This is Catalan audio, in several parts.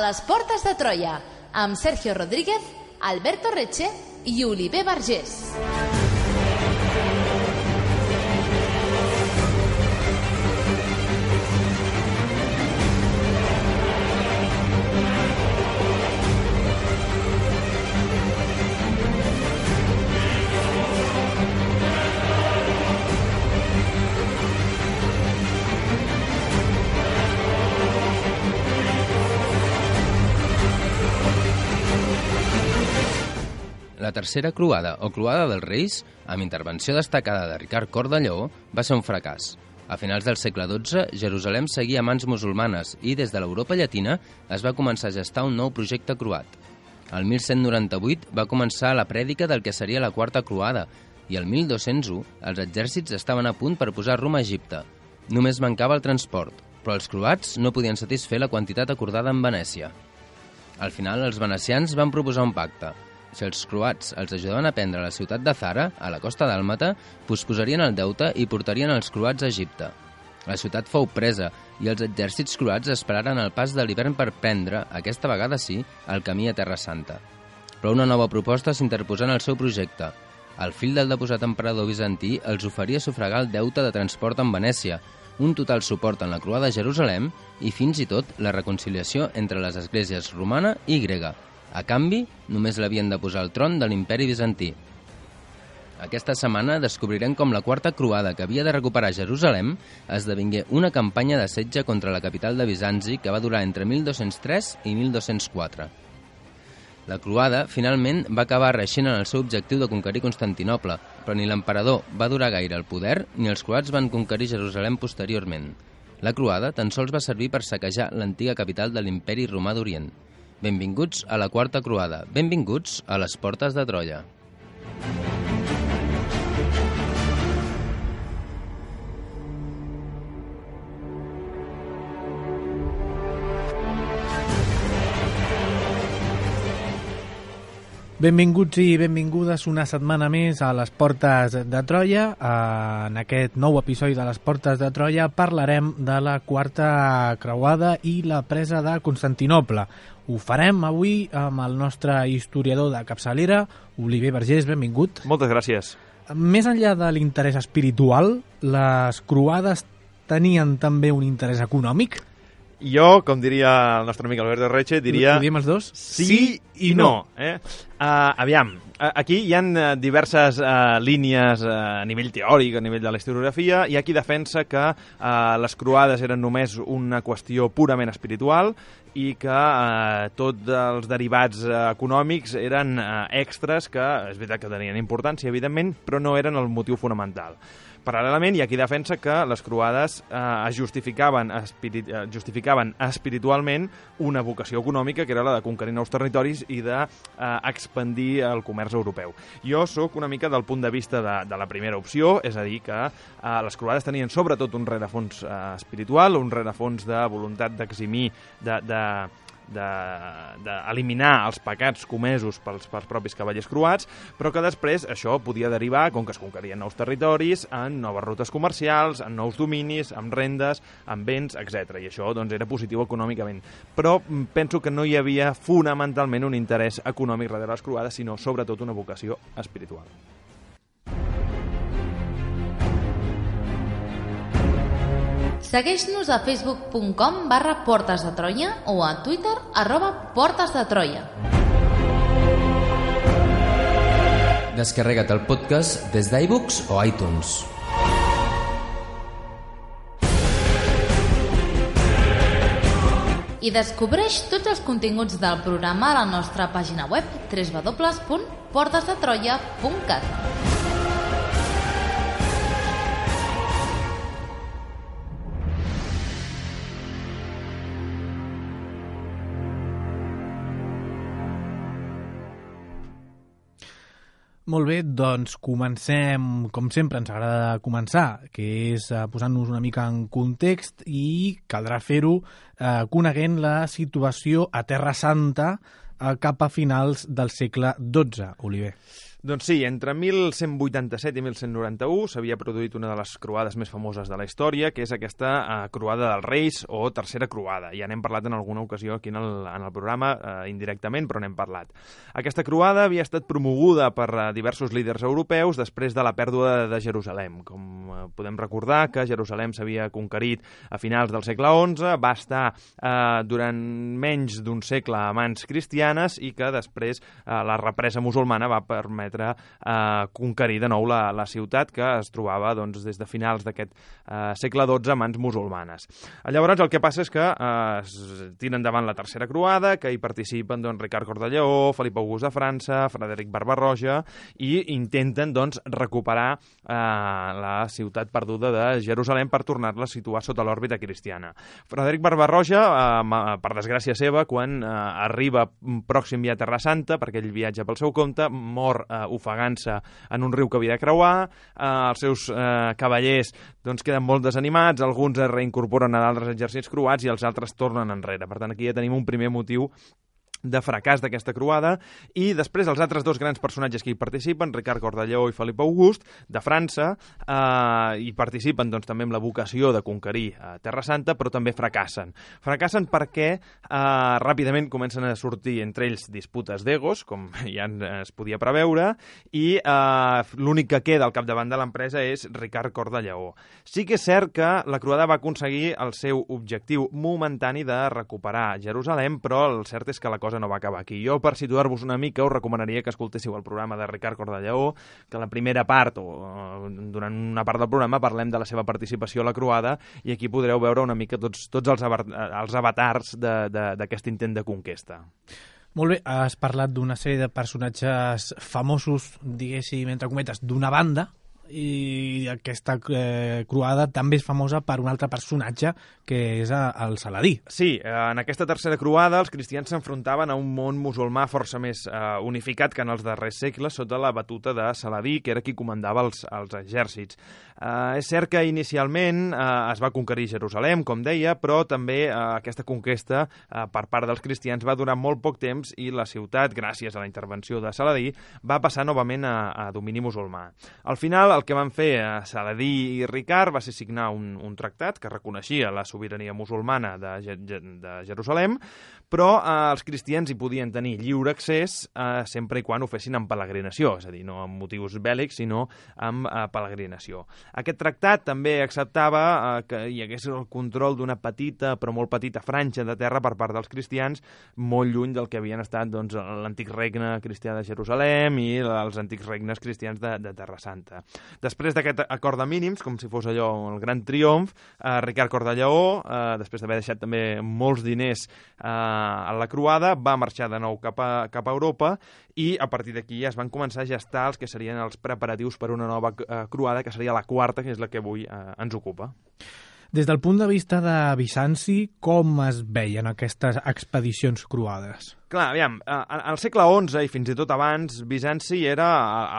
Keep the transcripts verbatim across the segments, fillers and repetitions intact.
les portes de Troia, amb Sergio Rodríguez, Alberto Reche i Oliver Vergés. La tercera croada, o croada dels Reis, amb intervenció destacada de Ricard Cor de Lleó, va ser un fracàs. A finals del segle dotze, Jerusalem seguia a mans musulmanes i, des de l'Europa llatina, es va començar a gestar un nou projecte croat. El mil cent noranta-vuit va començar la prèdica del que seria la quarta croada i el mil dos-cents u els exèrcits estaven a punt per posar rumb a Egipte. Només mancava el transport, però els croats no podien satisfer la quantitat acordada amb Venècia. Al final, els venecians van proposar un pacte. Si els croats els ajudaven a prendre la ciutat de Zara, a la costa dàlmata, posposarien el deute i portarien els croats a Egipte. La ciutat fou presa i els exèrcits croats esperaren el pas de l'hivern per prendre, aquesta vegada sí, el camí a Terra Santa. Però una nova proposta s'interposà en el seu projecte. El fill del deposat emperador bizantí els oferia sufragar el deute de transport amb Venècia, un total suport en la croada de Jerusalem i fins i tot la reconciliació entre les esglésies romana i grega. A canvi, només l'havien de posar al tron de l'imperi bizantí. Aquesta setmana descobrirem com la quarta croada que havia de recuperar Jerusalem esdevingué una campanya de setge contra la capital de Bizanci que va durar entre mil dos-cents tres i mil dos-cents quatre. La croada, finalment, va acabar reeixint en el seu objectiu de conquerir Constantinoble, però ni l'emperador va durar gaire al poder ni els croats van conquerir Jerusalem posteriorment. La croada tan sols va servir per saquejar l'antiga capital de l'imperi romà d'Orient. Benvinguts a la quarta croada. Benvinguts a les portes de Troia. Benvinguts i benvingudes una setmana més a les Portes de Troia. En aquest nou episodi de les Portes de Troia parlarem de la quarta creuada i la presa de Constantinoble. Ho farem avui amb el nostre historiador de capçalera, Oliver Vergés, benvingut. Moltes gràcies. Més enllà de l'interès espiritual, les croades tenien també un interès econòmic? Jo, com diria el nostre amic Alberto Reche, diria... Ho diem els dos? Sí i no. Eh? Uh, aviam, aquí hi ha diverses uh, línies uh, a nivell teòric, a nivell de la historiografia. Hi ha qui defensa que uh, les croades eren només una qüestió purament espiritual i que uh, tots els derivats uh, econòmics eren uh, extras que, és veritat que tenien importància, evidentment, però no eren el motiu fonamental. Paral·lelament, hi ha qui defensa que les croades eh, es justificaven, espirit, eh, justificaven espiritualment una vocació econòmica que era la de conquerir nous territoris i d'expandir eh, el comerç europeu. Jo sóc una mica del punt de vista de, de la primera opció, és a dir, que eh, les croades tenien sobretot un rerefons eh, espiritual, un rerefons de voluntat d'eximir, de... de d'eliminar els pecats comesos pels, pels propis cavallers croats, però que després això podia derivar, com que es conquerien nous territoris, en noves rutes comercials, en nous dominis, en rendes, en béns, etcètera. I això doncs, era positiu econòmicament. Però penso que no hi havia fonamentalment un interès econòmic darrere les croades, sinó sobretot una vocació espiritual. Segueix-nos a facebook punt com barra Portes de Troia o a Twitter arroba Portes de Troia. Descarrega't el podcast des d'iBooks o iTunes. I descobreix tots els continguts del programa a la nostra pàgina web w w w punt portes de troia punt cat. Molt bé, doncs comencem, com sempre ens agrada començar, que és eh, posant-nos una mica en context i caldrà fer-ho eh, coneguent la situació a Terra Santa eh, cap a finals del segle dotze, Oliver. Doncs sí, entre mil cent vuitanta-set i mil cent noranta-u s'havia produït una de les croades més famoses de la història, que és aquesta eh, croada dels Reis o tercera croada. Ja n'hem parlat en alguna ocasió aquí en el, en el programa, eh, indirectament, però n'hem parlat. Aquesta croada havia estat promoguda per eh, diversos líders europeus després de la pèrdua de, de Jerusalem. Com eh, podem recordar que Jerusalem s'havia conquerit a finals del segle onze, va estar eh, durant menys d'un segle a mans cristianes i que després eh, la represa musulmana va permetre Eh, conquerir de nou la, la ciutat que es trobava doncs, des de finals d'aquest eh, segle dotze a mans musulmanes. Llavors el que passa és que eh, es tira endavant la tercera croada, que hi participen doncs, Ricard Cor de Lleó, Felip August de França, Frederic Barba-roja, i intenten doncs, recuperar eh, la ciutat perduda de Jerusalem per tornar-la a situar sota l'òrbita cristiana. Frederic Barba-roja, eh, per desgràcia seva, quan eh, arriba pròxim ja a Terra Santa, perquè ell viatja pel seu compte, mor eh, ofegant-se en un riu que havia de creuar, eh, els seus eh, cavallers doncs, queden molt desanimats, alguns es reincorporen a d'altres exèrcits croats i els altres tornen enrere. Per tant, aquí ja tenim un primer motiu de fracàs d'aquesta croada, i després els altres dos grans personatges que hi participen, Ricard Cor de Lleó i Felip August, de França, eh, hi participen doncs, també amb la vocació de conquerir eh, Terra Santa, però també fracassen. Fracassen perquè eh, ràpidament comencen a sortir entre ells disputes d'egos, com ja es podia preveure, i eh, l'únic que queda al capdavant de l'empresa és Ricard Cor de Lleó. Sí que és cert que la croada va aconseguir el seu objectiu momentani de recuperar Jerusalem, però el cert és que la cosa no va acabar aquí. Jo, per situar-vos una mica, us recomanaria que escoltéssiu el programa de Ricard Cor de Lleó, que la primera part, o durant una part del programa, parlem de la seva participació a la croada, i aquí podreu veure una mica tots, tots els, els avatars d'aquest intent de conquesta. Molt bé, has parlat d'una sèrie de personatges famosos, diguéssim, entre cometes, d'una banda, i aquesta eh, croada també és famosa per un altre personatge que és el Saladí. Sí, en aquesta tercera croada els cristians s'enfrontaven a un món musulmà força més eh, unificat que en els darrers segles sota la batuta de Saladí, que era qui comandava els, els exèrcits. Eh, és cert que inicialment eh, es va conquerir Jerusalem, com deia, però també eh, aquesta conquesta eh, per part dels cristians va durar molt poc temps i la ciutat, gràcies a la intervenció de Saladí, va passar novament a, a domini musulmà. Al final, el que van fer a Saladí i Ricard va ser signar un, un tractat que reconeixia la sobirania musulmana de, de Jerusalem, però eh, els cristians hi podien tenir lliure accés eh, sempre i quan ho fessin en peregrinació, és a dir, no amb motius bèl·lics, sinó amb eh, peregrinació. Aquest tractat també acceptava eh, que hi hagués el control d'una petita, però molt petita franja de terra per part dels cristians, molt lluny del que havien estat doncs, l'antic regne cristià de Jerusalem i els antics regnes cristians de, de Terra Santa. Després d'aquest acord de mínims, com si fos allò el gran triomf, eh, Ricard Cor de Lleó, eh, després d'haver deixat també molts diners eh, a la croada, va marxar de nou cap a, cap a Europa, i a partir d'aquí ja es van començar a gestar els que serien els preparatius per una nova eh, croada, que seria la quarta, que és la que avui eh, ens ocupa. Des del punt de vista de Bizanci, com es veien aquestes expedicions croades? Clar, aviam, al segle onze i fins i tot abans, Bizanci era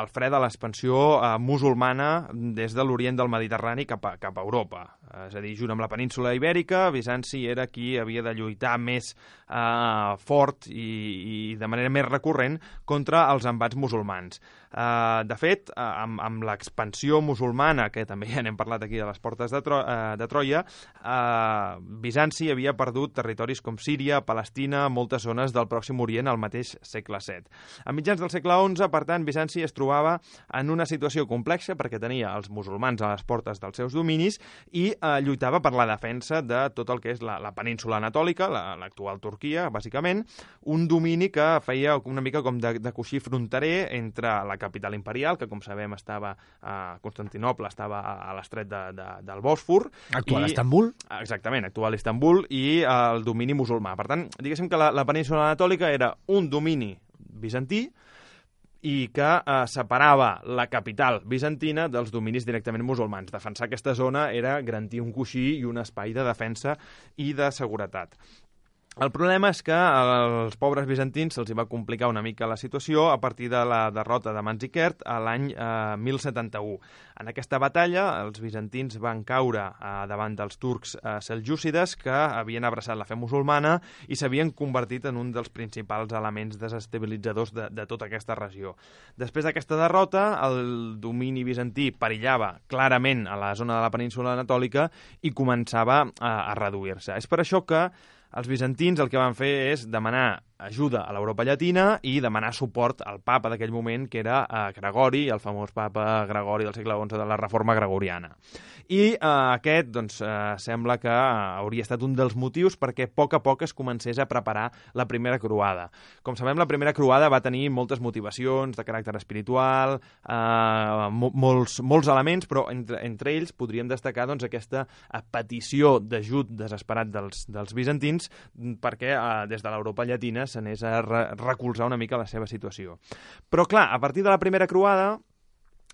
el fre de l'expansió musulmana des de l'orient del Mediterrani cap a, cap a Europa. És a dir, junt amb la península ibèrica, Bizanci era qui havia de lluitar més eh, fort i, i de manera més recurrent contra els embats musulmans. Eh, de fet, eh, amb, amb l'expansió musulmana, que també ja n'hem parlat aquí de les portes de, Tro eh, de Troia, eh, Bizanci havia perdut territoris com Síria, Palestina, moltes zones del Pròxim Orient al mateix segle set. A mitjans del segle onze, per tant, Bizanci es trobava en una situació complexa perquè tenia els musulmans a les portes dels seus dominis i eh, lluitava per la defensa de tot el que és la, la península anatòlica, l'actual la, Turquia, bàsicament, un domini que feia una mica com de, de coixí fronterer entre la capital imperial, que com sabem estava a Constantinoble, estava a l'estret de, de, del Bòsfor. Actual i, Istanbul. Exactament, actual Istanbul, i el domini musulmà. Per tant, diguéssim que la, la península anatòlica era un domini bizantí i que eh, separava la capital bizantina dels dominis directament musulmans. Defensar aquesta zona era garantir un coixí i un espai de defensa i de seguretat. El problema és que als pobres bizantins se'ls va complicar una mica la situació a partir de la derrota de Manzikert a l'any eh, mil setanta-u. En aquesta batalla, els bizantins van caure eh, davant dels turcs eh, seljúcides que havien abraçat la fe musulmana i s'havien convertit en un dels principals elements desestabilitzadors de, de tota aquesta regió. Després d'aquesta derrota, el domini bizantí perillava clarament a la zona de la península anatòlica i començava a, a reduir-se. És per això que els bizantins el que van fer és demanar ajuda a l'Europa llatina i demanar suport al papa d'aquell moment, que era eh, Gregori, el famós papa Gregori del segle onze de la Reforma Gregoriana. I eh, aquest, doncs, eh, sembla que hauria estat un dels motius perquè a poc a poc es comencés a preparar la primera croada. Com sabem, la primera croada va tenir moltes motivacions de caràcter espiritual, eh, mo molts, molts elements, però entre, entre ells podríem destacar doncs, aquesta petició d'ajut desesperat dels, dels bizantins perquè eh, des de l'Europa llatina s'anés a re recolzar una mica la seva situació. Però, clar, a partir de la primera croada,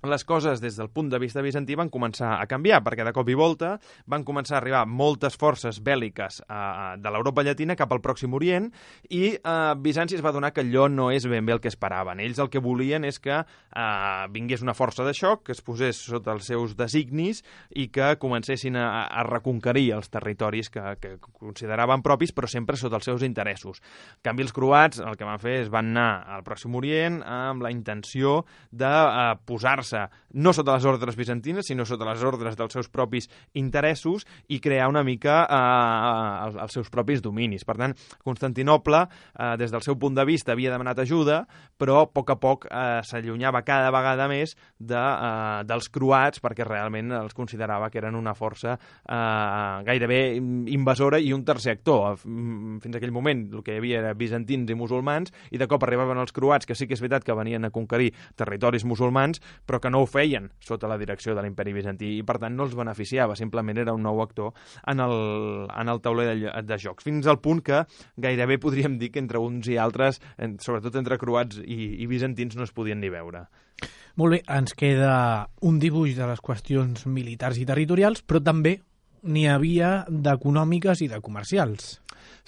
les coses des del punt de vista bizantí van començar a canviar, perquè de cop i volta van començar a arribar moltes forces bèl·liques eh, de l'Europa llatina cap al Pròxim Orient i eh, Bizanci es va adonar que allò no és ben bé el que esperaven. Ells el que volien és que eh, vingués una força de xoc, que es posés sota els seus designis i que comencessin a, a reconquerir els territoris que, que consideraven propis, però sempre sota els seus interessos. En canvi, els croats el que van fer és van anar al Pròxim Orient amb la intenció de eh, posar-se no sota les ordres bizantines, sinó sota les ordres dels seus propis interessos i crear una mica eh, els, els seus propis dominis. Per tant, Constantinoble, eh, des del seu punt de vista, havia demanat ajuda, però a poc a poc eh, s'allunyava cada vegada més de, eh, dels croats, perquè realment els considerava que eren una força eh, gairebé invasora i un tercer actor. Fins a aquell moment el que hi havia era bizantins i musulmans, i de cop arribaven els croats, que sí que és veritat que venien a conquerir territoris musulmans, però que no ho feien sota la direcció de l'imperi bizantí i, per tant, no els beneficiava, simplement era un nou actor en el, en el tauler de, de jocs, fins al punt que gairebé podríem dir que entre uns i altres, sobretot entre croats i, i bizantins, no es podien ni veure. Molt bé, ens queda un dibuix de les qüestions militars i territorials, però també n'hi havia d'econòmiques i de comercials.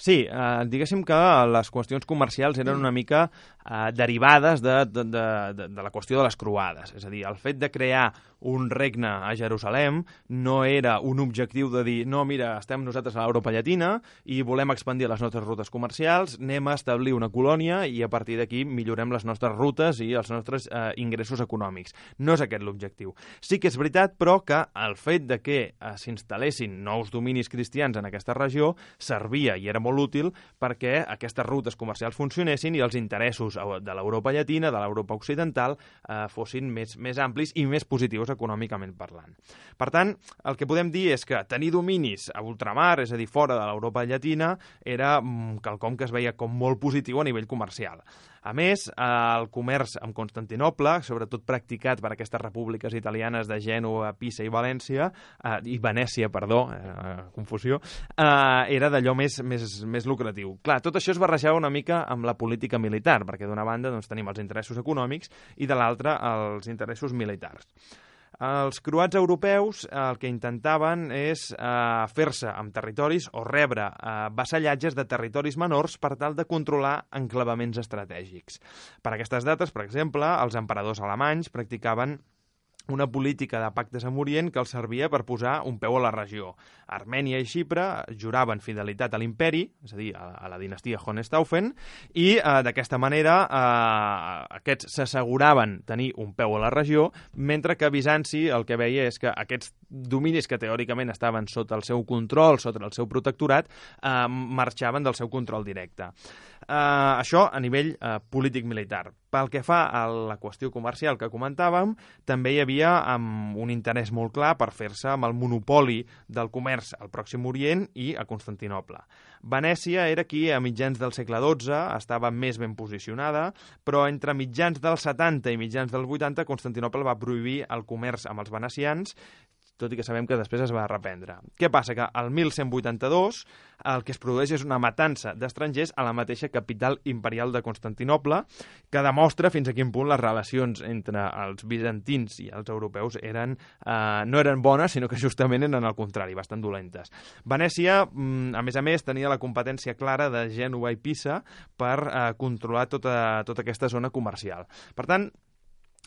Sí, eh, diguéssim que les qüestions comercials eren una mica eh, derivades de, de, de, de la qüestió de les croades. És a dir, el fet de crear un regne a Jerusalem no era un objectiu de dir no, mira, estem nosaltres a l'Europa llatina i volem expandir les nostres rutes comercials, anem a establir una colònia i a partir d'aquí millorem les nostres rutes i els nostres eh, ingressos econòmics. No és aquest l'objectiu. Sí que és veritat, però, que el fet de que eh, s'instal·lessin nous dominis cristians en aquesta regió servia i era molt útil perquè aquestes rutes comercials funcionessin i els interessos de l'Europa llatina, de l'Europa occidental, eh, fossin més, més amplis i més positius econòmicament parlant. Per tant, el que podem dir és que tenir dominis a ultramar, és a dir, fora de l'Europa llatina, era quelcom que es veia com molt positiu a nivell comercial. A més, el comerç amb Constantinoble, sobretot practicat per aquestes repúbliques italianes de Gènova, Pisa i València, eh, i Venècia, perdó, eh, confusió, eh, era d'allò més, més, més lucratiu. Clar, tot això es barrejava una mica amb la política militar, perquè d'una banda doncs, tenim els interessos econòmics i de l'altra els interessos militars. Els croats europeus el que intentaven és eh, fer-se amb territoris o rebre eh, vassallatges de territoris menors per tal de controlar enclavaments estratègics. Per aquestes dates, per exemple, els emperadors alemanys practicaven una política de pactes amb Orient que els servia per posar un peu a la regió. Armènia i Xipre juraven fidelitat a l'imperi, és a dir, a la dinastia Hohenstaufen, i eh, d'aquesta manera eh, aquests s'asseguraven tenir un peu a la regió, mentre que Bizanci el que veia és que aquests dominis que teòricament estaven sota el seu control, sota el seu protectorat, eh, marxaven del seu control directe. Eh, això a nivell eh, polític-militar. Pel que fa a la qüestió comercial que comentàvem, també hi havia um, un interès molt clar per fer-se amb el monopoli del comerç al Pròxim Orient i a Constantinoble. Venècia era qui a mitjans del segle dotze estava més ben posicionada, però entre mitjans dels setanta i mitjans dels vuitanta Constantinoble va prohibir el comerç amb els venecians, tot i que sabem que després es va reprendre. Què passa? Que al mil cent vuitanta-dos el que es produeix és una matança d'estrangers a la mateixa capital imperial de Constantinoble, que demostra fins a quin punt les relacions entre els bizantins i els europeus eren, eh, no eren bones, sinó que justament eren al contrari, bastant dolentes. Venècia, a més a més, tenia la competència clara de Gènova i Pisa per eh, controlar tota, tota aquesta zona comercial. Per tant,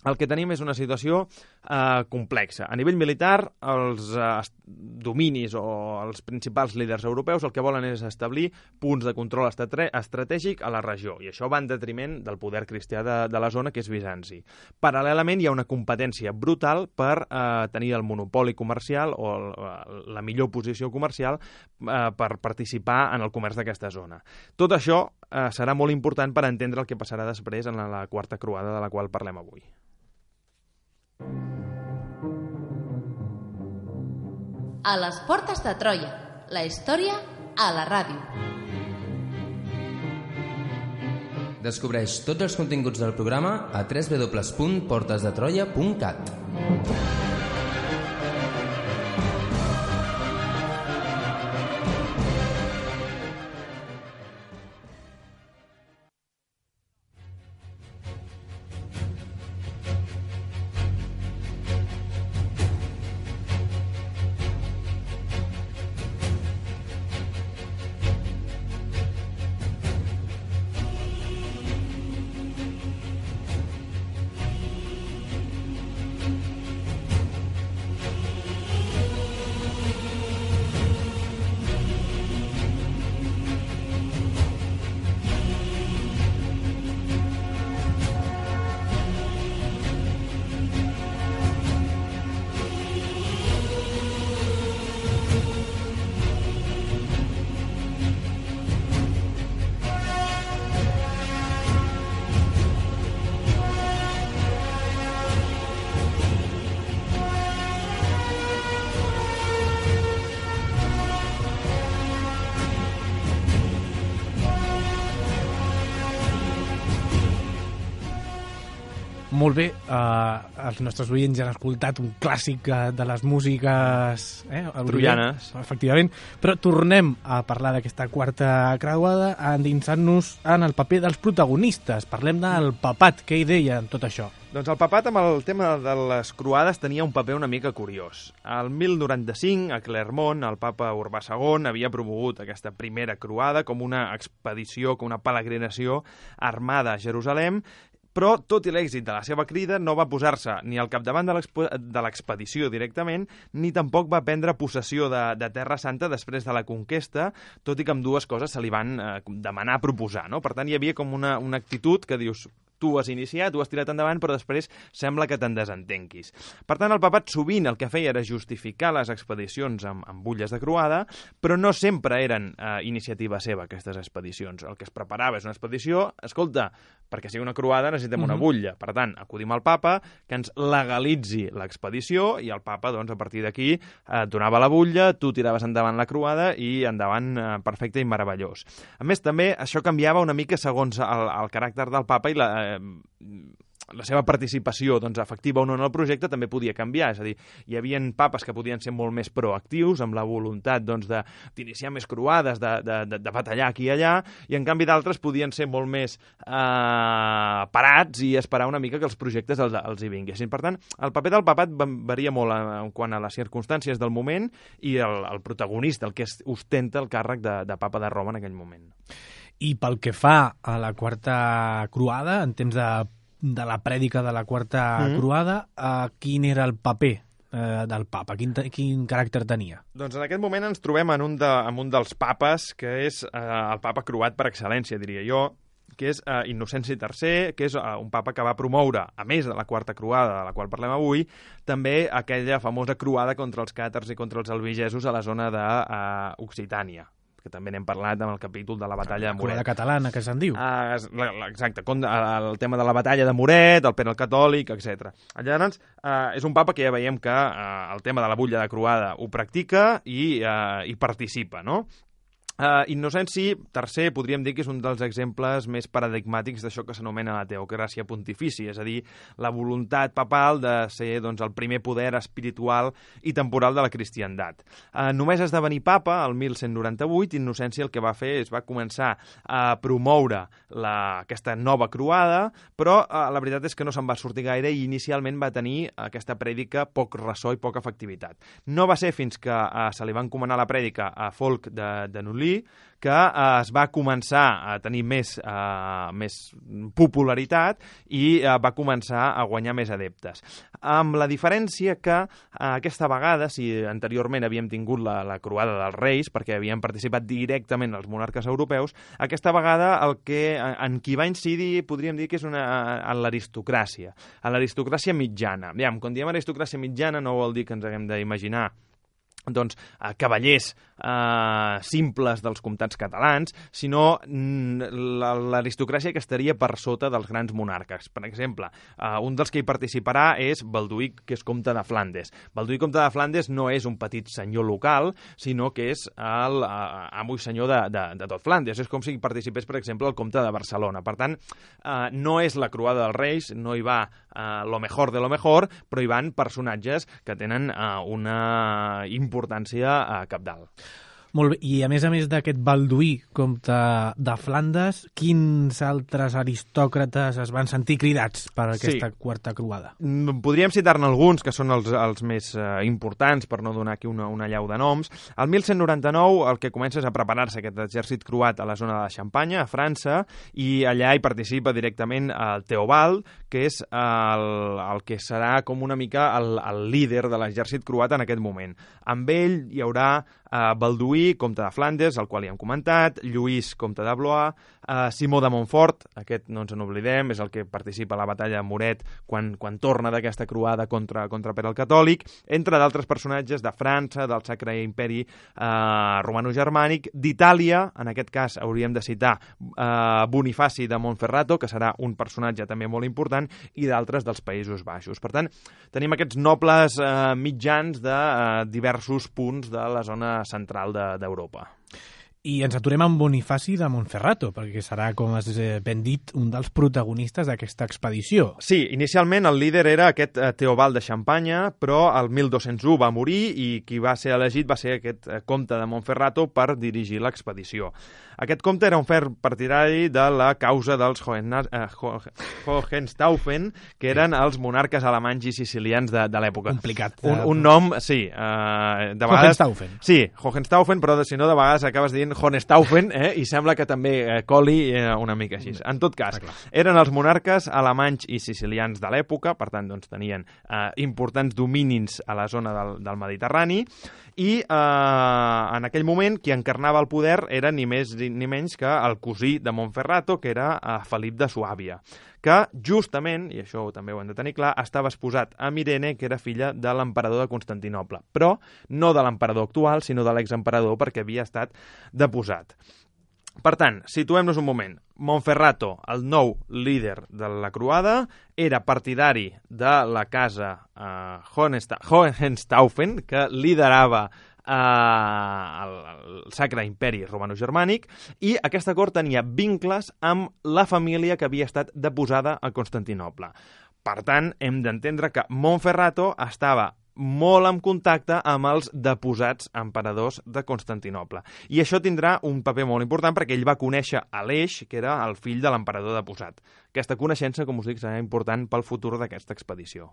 el que tenim és una situació eh, complexa. A nivell militar, els eh, dominis o els principals líders europeus el que volen és establir punts de control estratègic a la regió, i això va en detriment del poder cristià de, de la zona, que és Bizanci. Paral·lelament, hi ha una competència brutal per eh, tenir el monopoli comercial o el, la millor posició comercial eh, per participar en el comerç d'aquesta zona. Tot això eh, serà molt important per entendre el que passarà després en la, la quarta croada de la qual parlem avui. A les portes de Troia, la història a la ràdio. Descobreix tots els continguts del programa a w w w punt portes de troia punt cat. Molt bé, eh, els nostres oients ja han escoltat un clàssic eh, de les músiques eh, troianes, efectivament, però tornem a parlar d'aquesta quarta creuada endinsant-nos en el paper dels protagonistes. Parlem del papat, què hi deia en tot això? Doncs el papat amb el tema de les croades tenia un paper una mica curiós. Al mil noranta-cinc, a Clermont, el papa Urbà segon havia promogut aquesta primera croada com una expedició, com una peregrinació armada a Jerusalem, però, tot i l'èxit de la seva crida, no va posar-se ni al capdavant de l'expedició directament, ni tampoc va prendre possessió de, de Terra Santa després de la conquesta, tot i que amb dues coses se li van eh, demanar proposar, no? Per tant, hi havia com una, una actitud que dius, tu has iniciat, tu has tirat endavant, però després sembla que te'n desentenquis. Per tant, el papat sovint el que feia era justificar les expedicions amb, amb butlles de croada, però no sempre eren eh, iniciativa seva, aquestes expedicions. El que es preparava és una expedició, escolta, perquè sigui una croada necessitem una butlla. Per tant, acudim al papa, que ens legalitzi l'expedició, i el papa, doncs, a partir d'aquí, eh, donava la butlla, tu tiraves endavant la croada i endavant eh, perfecte i meravellós. A més, també, això canviava una mica segons el, el caràcter del papa i la eh, la seva participació doncs, efectiva o no en el projecte també podia canviar, és a dir, hi havia papes que podien ser molt més proactius, amb la voluntat doncs, d'iniciar més croades, de, de, de, de batallar aquí i allà, i en canvi d'altres podien ser molt més eh, parats i esperar una mica que els projectes els, els hi vinguessin. Per tant, el paper del papat varia molt en quant a les circumstàncies del moment i el, el protagonista, el que ostenta el càrrec de, de papa de Roma en aquell moment. I pel que fa a la quarta croada, en temps de, de la prèdica de la quarta mm-hmm. croada, eh, quin era el paper eh, del papa? Quin, quin caràcter tenia? Doncs en aquest moment ens trobem en un, de, en un dels papes, que és eh, el papa croat per excel·lència, diria jo, que és eh, Innocenci tercer, que és eh, un papa que va promoure, a més de la quarta croada de la qual parlem avui, també aquella famosa croada contra els càtars i contra els albigesos a la zona d'Occitània. Uh, que també n'hem parlat amb el capítol de la batalla de Moret. La catalana, que se'n diu. Uh, exacte, el tema de la batalla de Moret, el Pere el Catòlic, etcètera. Llavors, uh, és un papa que ja veiem que uh, el tema de la butlla de croada ho practica i uh, hi participa, no? Uh, Innocenci tercer podríem dir que és un dels exemples més paradigmàtics d'això que s'anomena la teocràcia pontifici, és a dir, la voluntat papal de ser doncs, el primer poder espiritual i temporal de la cristiandat. Uh, només esdevenir papa, el mil cent noranta-vuit, Innocenci el que va fer és va començar a promoure la, aquesta nova croada, però uh, la veritat és que no se'n va sortir gaire i inicialment va tenir aquesta prèdica poc ressò i poca efectivitat. No va ser fins que uh, se li va encomanar la prèdica a Folc de, de Nulí que eh, es va començar a tenir més, eh, més popularitat i eh, va començar a guanyar més adeptes. Amb la diferència que eh, aquesta vegada, si anteriorment havíem tingut la, la croada dels reis, perquè havien participat directament els monarques europeus, aquesta vegada el que, en qui va incidir podríem dir que és una, en l'aristocràcia, en l'aristocràcia mitjana. Aviam, quan diem aristocràcia mitjana no vol dir que ens haguem d'imaginar doncs, eh, cavallers eh, simples dels comtats catalans, sinó l'aristocràcia que estaria per sota dels grans monarques. Per exemple, eh, un dels que hi participarà és Balduí, que és comte de Flandes. Balduí, comte de Flandes, no és un petit senyor local, sinó que és el eh, amo i senyor de, de, de tot Flandes. És com si hi participés, per exemple, el comte de Barcelona. Per tant, eh, no és la croada dels reis, no hi va eh, lo mejor de lo mejor, però hi van personatges que tenen eh, una importància importància a cabdal. Molt bé, i a més a més d'aquest Balduí, comte de Flandes, quins altres aristòcrates es van sentir cridats per aquesta sí. quarta croada? Podríem citar-ne alguns, que són els, els més eh, importants, per no donar aquí una, una llau de noms. El mil cent noranta-nou el que comença és a preparar-se aquest exèrcit croat a la zona de Xampanya, a França, i allà hi participa directament el Teobald, que és el, el que serà com una mica el, el líder de l'exèrcit croat en aquest moment. Amb ell hi haurà Uh, Balduí, comte de Flandes, el qual ja hem comentat, Lluís, comte de Blois, uh, Simó de Montfort, aquest no ens n'oblidem, és el que participa a la batalla de Moret quan, quan torna d'aquesta croada contra, contra Pere el Catòlic, entre d'altres personatges de França, del Sacre Imperi uh, Romano-Germànic, d'Itàlia, en aquest cas hauríem de citar uh, Bonifaci de Montferrato, que serà un personatge també molt important, i d'altres dels Països Baixos. Per tant, tenim aquests nobles uh, mitjans de uh, diversos punts de la zona central d'Europa. I ens aturem amb Bonifaci de Montferrato, perquè serà, com has ben dit, un dels protagonistes d'aquesta expedició. Sí, inicialment el líder era aquest eh, Teobald de Xampanya, però el mil dos-cents u va morir i qui va ser elegit va ser aquest eh, comte de Montferrato per dirigir l'expedició. Aquest comte era un ferm partidari de la causa dels Hohen, eh, Hohenstaufen, que eren els monarques alemanys i sicilians de, de l'època. Complicat. Un, un nom, sí. Eh, de vegades, Hohenstaufen. Sí, Hohenstaufen, però si no de vegades acabes dient Hohenstaufen, eh, i sembla que també eh, coli eh, una mica així. En tot cas, eren els monarques alemanys i sicilians de l'època, per tant, doncs, tenien eh, importants dominis a la zona del, del Mediterrani, i eh, en aquell moment qui encarnava el poder era ni més ni menys que el cosí de Montferrato, que era eh, Felip de Suàbia, que justament, i això també ho hem de tenir clar, estava esposat amb Irene, que era filla de l'emperador de Constantinoble, però no de l'emperador actual, sinó de l'exemperador, perquè havia estat deposat. Per tant, situem-nos un moment. Montferrato, el nou líder de la croada, era partidari de la casa eh, Hohenstaufen, que liderava eh, el, el Sacre Imperi Romano-Germànic, i aquesta cort tenia vincles amb la família que havia estat deposada a Constantinoble. Per tant, hem d'entendre que Montferrato estava molt en contacte amb els deposats emperadors de Constantinoble. I això tindrà un paper molt important perquè ell va conèixer Aleix, que era el fill de l'emperador deposat. Aquesta coneixença, com us dic, serà important pel futur d'aquesta expedició.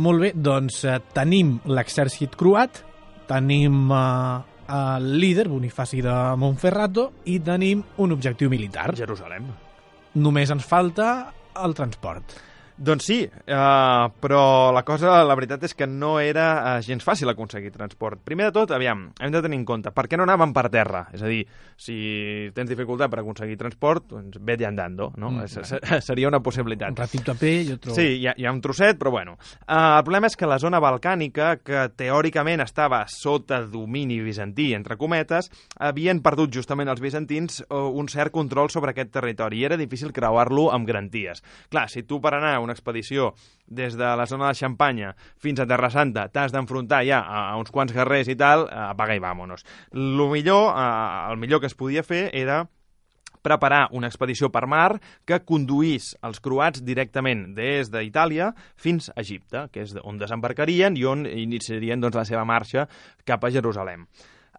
Molt bé, doncs eh, tenim l'exèrcit croat, tenim eh, el líder, Bonifaci de Monferrato, i tenim un objectiu militar. Jerusalem. Només ens falta el transport. Doncs sí, uh, però la cosa, la veritat és que no era uh, gens fàcil aconseguir transport. Primer de tot, aviam, hem de tenir en compte, per què no anaven per terra? És a dir, si tens dificultat per aconseguir transport, doncs vete andando, no? Mm, -hmm. Seria una possibilitat. Un ratito a peu i otro... Sí, hi ha, hi ha un trosset, però bueno. Uh, el problema és que la zona balcànica, que teòricament estava sota domini bizantí, entre cometes, havien perdut justament els bizantins uh, un cert control sobre aquest territori i era difícil creuar-lo amb garanties. Clar, si tu per anar a una expedició des de la zona de Xampanya fins a Terra Santa t'has d'enfrontar ja a uns quants guerrers i tal, apaga i vámonos. Lo millor, el millor que es podia fer era preparar una expedició per mar que conduís els croats directament des d'Itàlia fins a Egipte, que és on desembarcarien i on iniciarien doncs, la seva marxa cap a Jerusalem.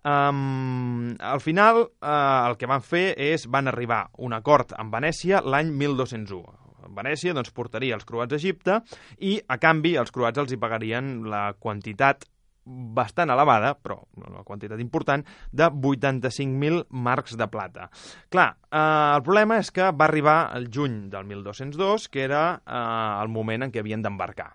Um, al final, uh, el que van fer és van arribar a un acord amb Venècia l'any mil dos-cents u. Venècia doncs, portaria els croats a Egipte i, a canvi, els croats els hi pagarien la quantitat bastant elevada, però una quantitat important, de vuitanta-cinc mil marcs de plata. Clar, eh, el problema és que va arribar el juny del mil dos-cents dos, que era eh, el moment en què havien d'embarcar.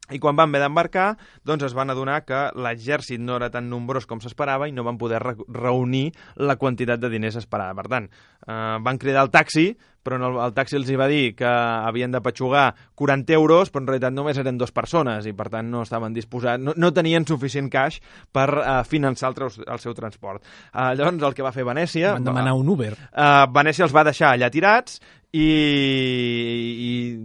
I quan van haver d'embarcar, doncs es van adonar que l'exèrcit no era tan nombrós com s'esperava i no van poder re reunir la quantitat de diners esperada. Per tant, eh, van cridar el taxi, però no, el taxi els hi va dir que havien de petxugar quaranta euros, però en realitat només eren dues persones i per tant no estaven disposats, no, no tenien suficient cash per uh, finançar el, el seu transport. Uh, llavors el que va fer Venècia... Van demanar un Uber. Uh, Venècia els va deixar allà tirats i,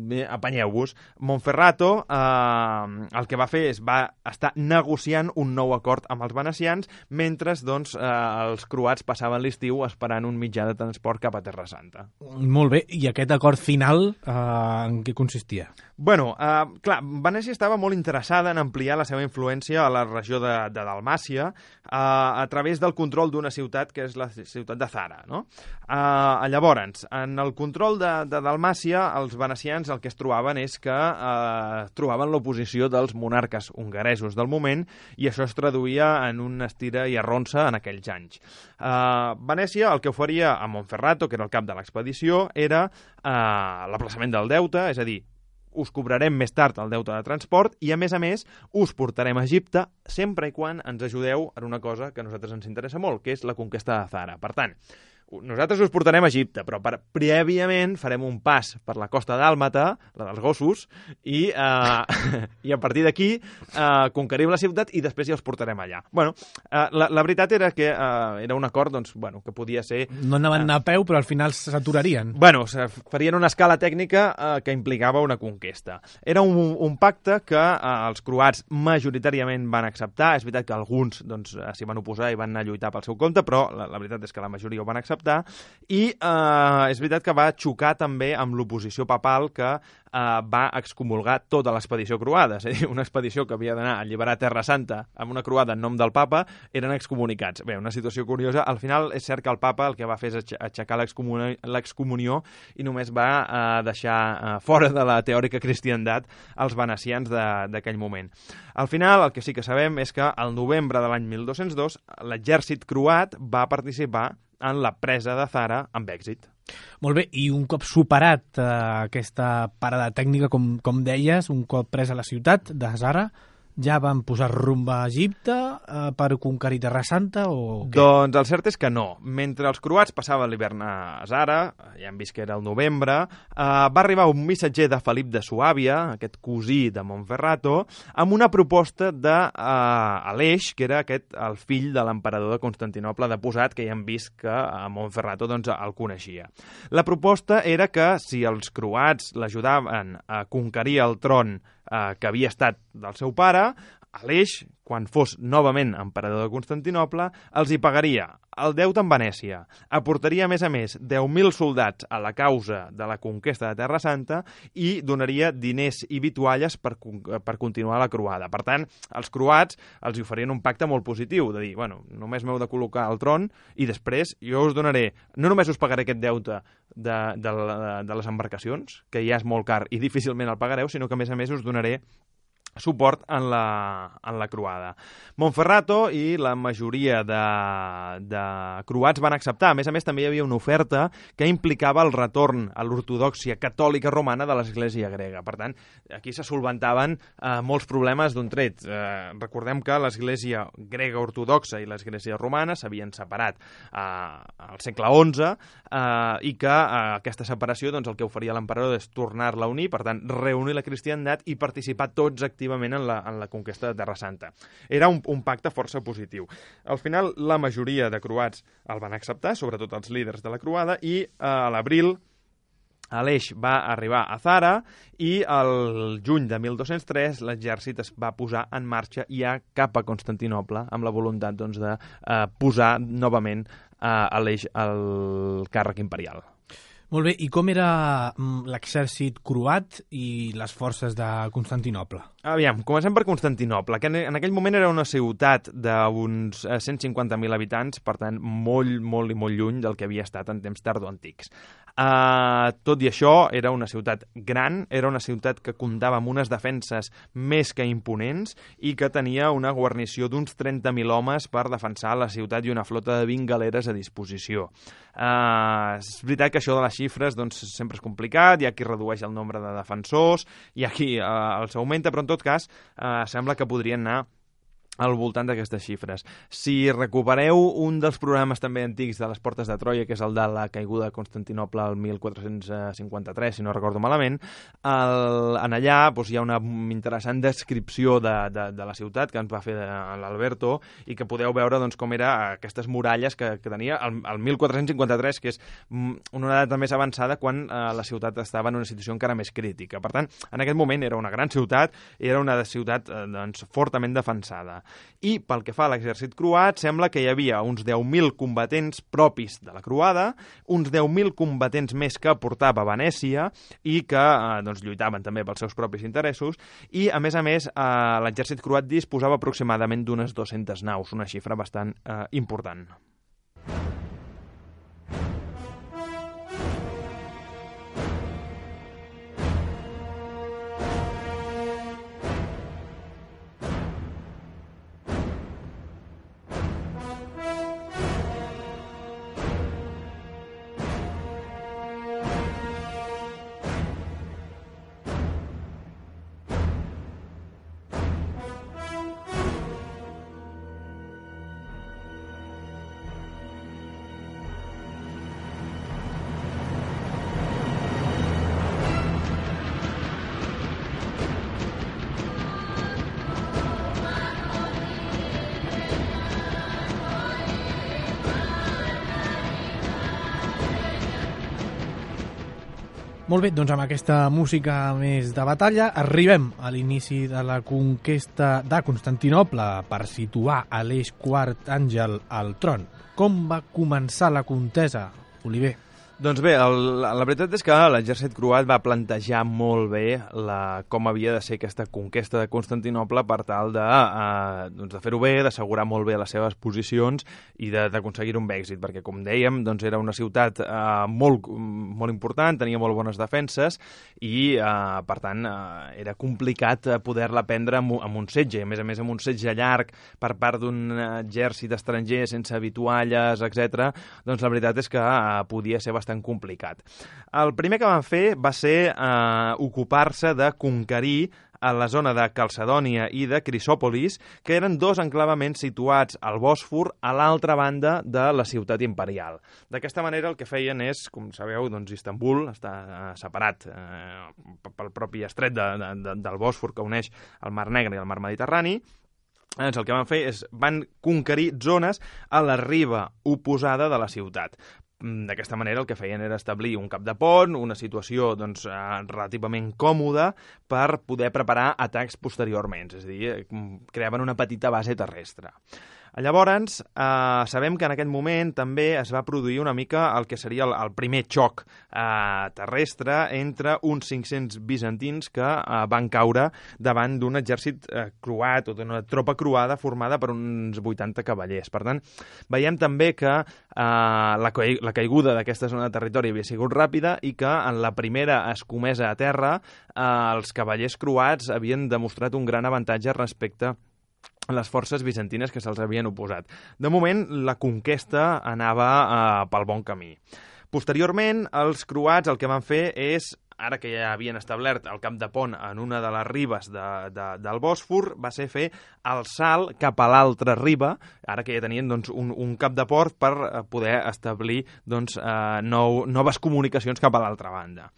i apanyeu-vos. Monferrato eh, el que va fer és va estar negociant un nou acord amb els venecians mentre doncs, eh, els croats passaven l'estiu esperant un mitjà de transport cap a Terra Santa. Molt bé, i aquest acord final eh, en què consistia? Bueno, eh, clar, Venècia estava molt interessada en ampliar la seva influència a la regió de, de Dalmàcia eh, a través del control d'una ciutat que és la ciutat de Zara, no? Eh, llavors, en el control de, de Dalmàcia, els venecians el que es trobaven és que eh, trobaven l'oposició dels monarques hongaresos del moment i això es traduïa en una estira i arronsa en aquells anys. Eh, Venècia el que oferia a Monferrato, que era el cap de l'expedició, era eh, l'aplaçament del deute, és a dir, us cobrarem més tard el deute de transport i, a més a més, us portarem a Egipte sempre i quan ens ajudeu en una cosa que a nosaltres ens interessa molt, que és la conquesta de Zara. Per tant, nosaltres us portarem a Egipte, però per, prèviament farem un pas per la costa dàlmata, la dels gossos, i, eh, i a partir d'aquí eh, conquerim la ciutat i després ja els portarem allà. Bueno, eh, la, la veritat era que eh, era un acord doncs, bueno, que podia ser... No anaven eh, a peu, però al final s'aturarien. Bueno, farien una escala tècnica eh, que implicava una conquesta. Era un, un pacte que eh, els croats majoritàriament van acceptar. És veritat que alguns doncs, s'hi van oposar i van anar a lluitar pel seu compte, però la, la veritat és que la majoria ho van acceptar. I eh, és veritat que va xocar també amb l'oposició papal que eh, va excomulgar tota l'expedició croada, és a dir, una expedició que havia d'anar a alliberar Terra Santa amb una croada en nom del papa, eren excomunicats. Bé, una situació curiosa. Al final és cert que el papa el que va fer és aixecar l'excomunió i només va eh, deixar eh, fora de la teòrica cristiandat els venecians d'aquell moment. Al final, el que sí que sabem és que al novembre de l'any mil dos-cents dos l'exèrcit croat va participar en la presa de Zara amb èxit. Molt bé, i un cop superat eh, aquesta parada tècnica, com, com deies, un cop presa la ciutat de Zara, ja van posar rumb a Egipte eh, per conquerir Terra Santa o què? Doncs el cert és que no. Mentre els croats passaven l'hivern a Zara, ja hem vist que era el novembre, eh, va arribar un missatger de Felip de Suàbia, aquest cosí de Monferrato, amb una proposta d'Aleix, eh, que era aquest, el fill de l'emperador de Constantinoble deposat, que ja hem vist que a Monferrato doncs, el coneixia. La proposta era que si els croats l'ajudaven a conquerir el tron eh, que havia estat del seu pare, Aleix, quan fos novament emperador de Constantinoble, els hi pagaria el deute en Venècia, aportaria a més a més deu mil soldats a la causa de la conquesta de Terra Santa i donaria diners i vitualles per, per continuar la croada. Per tant, els croats els oferien un pacte molt positiu, de dir, bueno, només m'heu de col·locar al tron i després jo us donaré, no només us pagaré aquest deute de, de, de, de les embarcacions, que ja és molt car i difícilment el pagareu, sinó que a més a més us donaré suport en la, en la croada. Montferrato i la majoria de, de croats van acceptar. A més a més, també hi havia una oferta que implicava el retorn a l'ortodòxia catòlica romana de l'Església grega. Per tant, aquí se solventaven eh, molts problemes d'un tret. Eh, recordem que l'Església grega ortodoxa i l'Església romana s'havien separat eh, al segle onze eh, i que eh, aquesta separació doncs, el que oferia l'emperador és tornar-la a unir, per tant, reunir la cristiandat i participar tots activament activament en la, en la conquesta de Terra Santa. Era un, un pacte força positiu. Al final, la majoria de croats el van acceptar, sobretot els líders de la croada, i eh, a l'abril Aleix va arribar a Zara i el juny de mil dos-cents tres l'exèrcit es va posar en marxa ja cap a Constantinoble amb la voluntat doncs, de eh, posar novament eh, Aleix al càrrec imperial. Molt bé, i com era l'exèrcit croat i les forces de Constantinoble? Aviam, comencem per Constantinoble, que en aquell moment era una ciutat d'uns cent cinquanta mil habitants, per tant, molt, molt i molt lluny del que havia estat en temps tardoantics. Uh, tot i això, era una ciutat gran, era una ciutat que comptava amb unes defenses més que imponents i que tenia una guarnició d'uns trenta mil homes per defensar la ciutat i una flota de vint galeres a disposició. Uh, és veritat que això de les xifres doncs, sempre és complicat, hi ha qui redueix el nombre de defensors, hi ha qui uh, els augmenta, però en tot cas uh, sembla que podrien anar al voltant d'aquestes xifres. Si recupereu un dels programes també antics de les Portes de Troia, que és el de la caiguda de Constantinoble el mil quatre-cents cinquanta-tres, si no recordo malament, el, en allà doncs, hi ha una interessant descripció de, de, de la ciutat que ens va fer l'Alberto i que podeu veure doncs, com era aquestes muralles que, que tenia el, el mil quatre-cents cinquanta-tres, que és una data més avançada quan eh, la ciutat estava en una situació encara més crítica. Per tant, en aquest moment era una gran ciutat i era una ciutat eh, doncs, fortament defensada. I pel que fa a l'exèrcit croat, sembla que hi havia uns deu mil combatents propis de la croada, uns deu mil combatents més que portava Venècia i que eh, doncs, lluitaven també pels seus propis interessos i, a més a més, eh, l'exèrcit croat disposava aproximadament d'unes dues-centes naus, una xifra bastant eh, important. Molt bé, doncs amb aquesta música més de batalla arribem a l'inici de la conquesta de Constantinoble per situar Aleix quart Àngel al tron. Com va començar la contesa, Oliver? Doncs bé, el, la veritat és que l'exèrcit croat va plantejar molt bé la, com havia de ser aquesta conquesta de Constantinople per tal de, eh, doncs de fer-ho bé, d'assegurar molt bé les seves posicions i d'aconseguir un èxit, perquè, com dèiem, doncs era una ciutat eh, molt, molt important, tenia molt bones defenses i, eh, per tant, eh, era complicat poder-la prendre amb, amb un setge, a més a més amb un setge llarg per part d'un exèrcit estranger sense vitualles, etcètera. Doncs la veritat és que eh, podia ser bastant complicat. El primer que van fer va ser eh, ocupar-se de conquerir a la zona de Calcedònia i de Crisòpolis, que eren dos enclavaments situats al Bòsfor a l'altra banda de la ciutat imperial. D'aquesta manera el que feien és, com sabeu, doncs Istanbul està eh, separat eh, pel propi estret de, de, de, del Bòsfor que uneix el Mar Negre i el Mar Mediterrani. Doncs el que van fer és van conquerir zones a la riba oposada de la ciutat. D'aquesta manera el que feien era establir un cap de pont, una situació doncs, relativament còmoda per poder preparar atacs posteriorment, és a dir, creaven una petita base terrestre. Llavors, eh, sabem que en aquest moment també es va produir una mica el que seria el, el primer xoc eh, terrestre entre uns cinc-cents bizantins que eh, van caure davant d'un exèrcit eh, croat o d'una tropa croada formada per uns vuitanta cavallers. Per tant, veiem també que eh, la, la caiguda d'aquesta zona de territori havia sigut ràpida i que en la primera escomesa a terra eh, els cavallers croats havien demostrat un gran avantatge respecte a les forces bizantines que se'ls havien oposat. De moment, la conquesta anava eh, pel bon camí. Posteriorment, els croats el que van fer és, ara que ja havien establert el camp de pont en una de les ribes de, de, del Bòsfor, va ser fer el salt cap a l'altra riba, ara que ja tenien doncs, un, un cap de port per poder establir doncs, eh, nou, noves comunicacions cap a l'altra banda.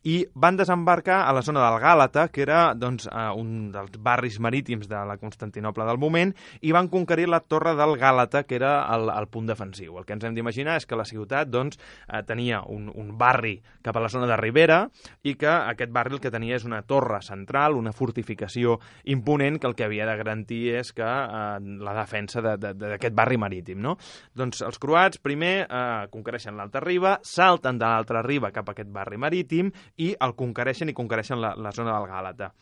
I van desembarcar a la zona del Gàlata, que era doncs, eh, un dels barris marítims de la Constantinoble del moment, i van conquerir la torre del Gàlata, que era el, el punt defensiu. El que ens hem d'imaginar és que la ciutat doncs, eh, tenia un, un barri cap a la zona de Ribera i que aquest barri el que tenia és una torre central, una fortificació imponent que el que havia de garantir és que eh, la defensa d'aquest barri marítim. No? Doncs els croats primer eh, conquereixen l'alta riba, salten de l'altra riba cap a aquest barri marítim i el conquereixen i conquereixen la, la zona del Gàlata.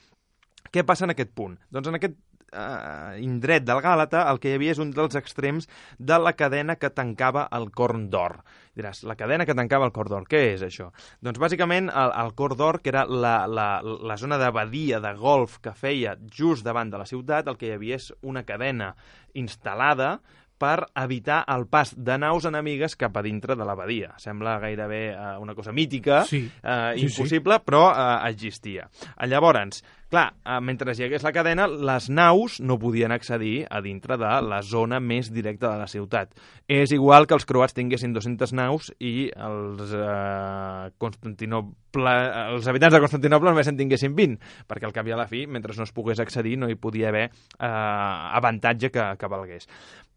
Què passa en aquest punt? Doncs en aquest eh, indret del Gàlata el que hi havia és un dels extrems de la cadena que tancava el Corn d'Or. Diràs, la cadena que tancava el Corn d'Or, què és això? Doncs bàsicament el, el Corn d'Or, que era la, la, la zona de badia, de golf que feia just davant de la ciutat, el que hi havia és una cadena instal·lada per evitar el pas de naus enemigues cap a dintre de la badia. Sembla gairebé eh, una cosa mítica, sí. eh, sí, impossible, sí. però eh, existia. Llavors, clar, eh, mentre hi hagués la cadena, les naus no podien accedir a dintre de la zona més directa de la ciutat. És igual que els croats tinguessin dues-centes naus i els, eh, Constantinople, els habitants de Constantinople només en tinguessin vint, perquè al cap i a la fi, mentre no es pogués accedir, no hi podia haver eh, avantatge que, que valgués.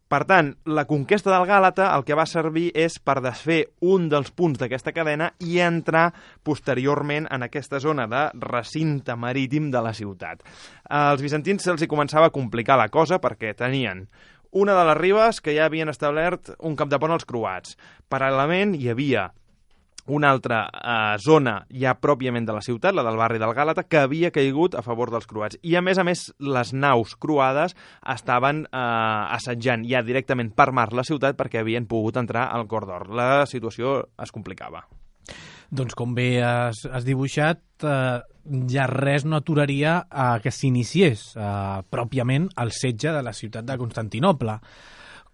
Per tant, la conquesta del Gàlata el que va servir és per desfer un dels punts d'aquesta cadena i entrar posteriorment en aquesta zona de recinte marítim de la ciutat. Als bizantins se'ls hi començava a complicar la cosa perquè tenien una de les ribes que ja havien establert un cap de pont als croats. Paral·lelament hi havia una altra eh, zona ja pròpiament de la ciutat, la del barri del Gàlata, que havia caigut a favor dels croats. I, a més a més, les naus croades estaven eh, assetjant ja directament per mar la ciutat perquè havien pogut entrar al Corn d'Or. La situació es complicava. Doncs com bé has, has dibuixat, eh, ja res no aturaria eh, que s'iniciés eh, pròpiament el setge de la ciutat de Constantinoble.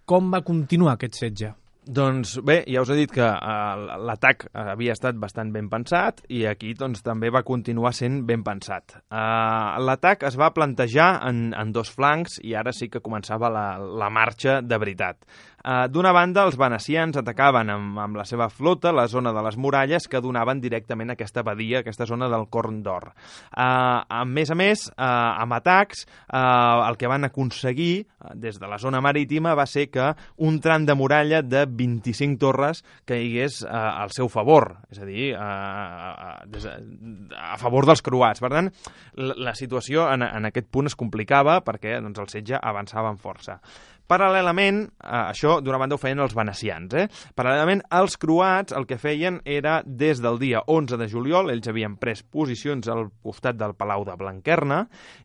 Com va continuar aquest setge? Doncs bé, ja us he dit que uh, l'atac havia estat bastant ben pensat i aquí doncs, també va continuar sent ben pensat. Uh, l'atac es va plantejar en, en dos flancs i ara sí que començava la, la marxa de veritat. Uh, D'una banda, els venecians atacaven amb, amb la seva flota la zona de les muralles que donaven directament a aquesta badia, aquesta zona del Corn d'Or. Uh, a més a més, uh, amb atacs, uh, el que van aconseguir uh, des de la zona marítima va ser que un tram de muralla de vint-i-cinc torres caigués uh, al seu favor, és a dir, uh, des, a favor dels croats. Per tant, la, la situació en, en aquest punt es complicava perquè doncs, el setge avançava amb força. Paral·lelament, eh, això d'una banda ho feien els venecians, eh? Paral·lelament, els croats el que feien era, des del dia onze de juliol, ells havien pres posicions al costat del Palau de Blanquerna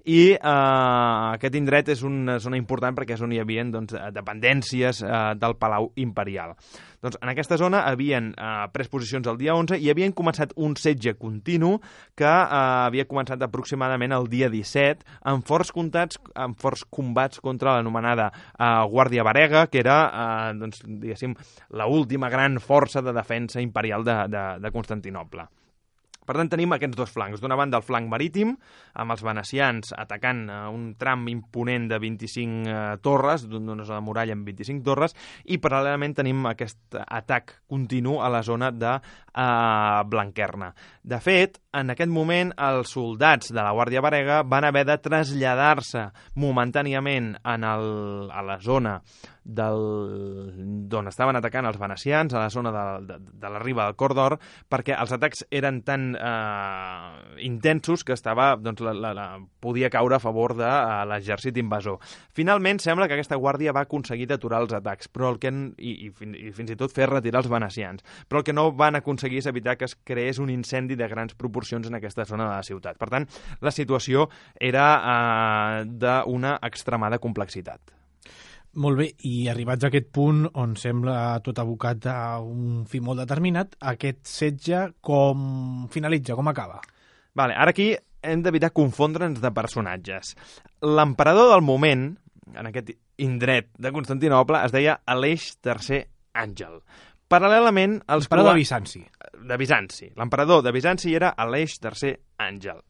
i eh, aquest indret és una zona important perquè és on hi havia doncs, dependències eh, del Palau Imperial. Doncs en aquesta zona havien eh, pres posicions el dia onze i havien començat un setge continu que eh, havia començat aproximadament el dia disset amb forts, comptats, amb forts combats contra l'anomenada eh, Guàrdia Varega, que era eh, doncs, diguéssim, l'última gran força de defensa imperial de, de, de Constantinoble. Per tant, tenim aquests dos flancs. D'una banda, el flanc marítim, amb els venecians atacant uh, un tram imponent de vint-i-cinc uh, torres, d'una zona de muralla amb vint-i-cinc torres, i paral·lelament tenim aquest atac continu a la zona de uh, Blanquerna. De fet, en aquest moment, els soldats de la Guàrdia Varega van haver de traslladar-se momentàniament en el, a la zona d'on estaven atacant els venecians, a la zona de, de, de la riba del Cor d'Or, perquè els atacs eren tan eh, intensos que estava, doncs, la, la, la, podia caure a favor de uh, l'exèrcit invasor. Finalment, sembla que aquesta guàrdia va aconseguir aturar els atacs, però el que, i, i, i fins i tot fer retirar els venecians, però el que no van aconseguir és evitar que es creés un incendi de grans proporcions en aquesta zona de la ciutat. Per tant, la situació era eh, d'una extremada complexitat. Molt bé, i arribats a aquest punt on sembla tot abocat a un fi molt determinat, aquest setge com finalitza, com acaba? Vale, ara aquí hem d'evitar confondre'ns de personatges. L'emperador del moment, en aquest indret de Constantinoble, es deia Aleix tercer Àngel. Paral·lelament... Els L'emperador de Bizanci. De Bizanci. L'emperador de Bizanci era Aleix tercer Àngel.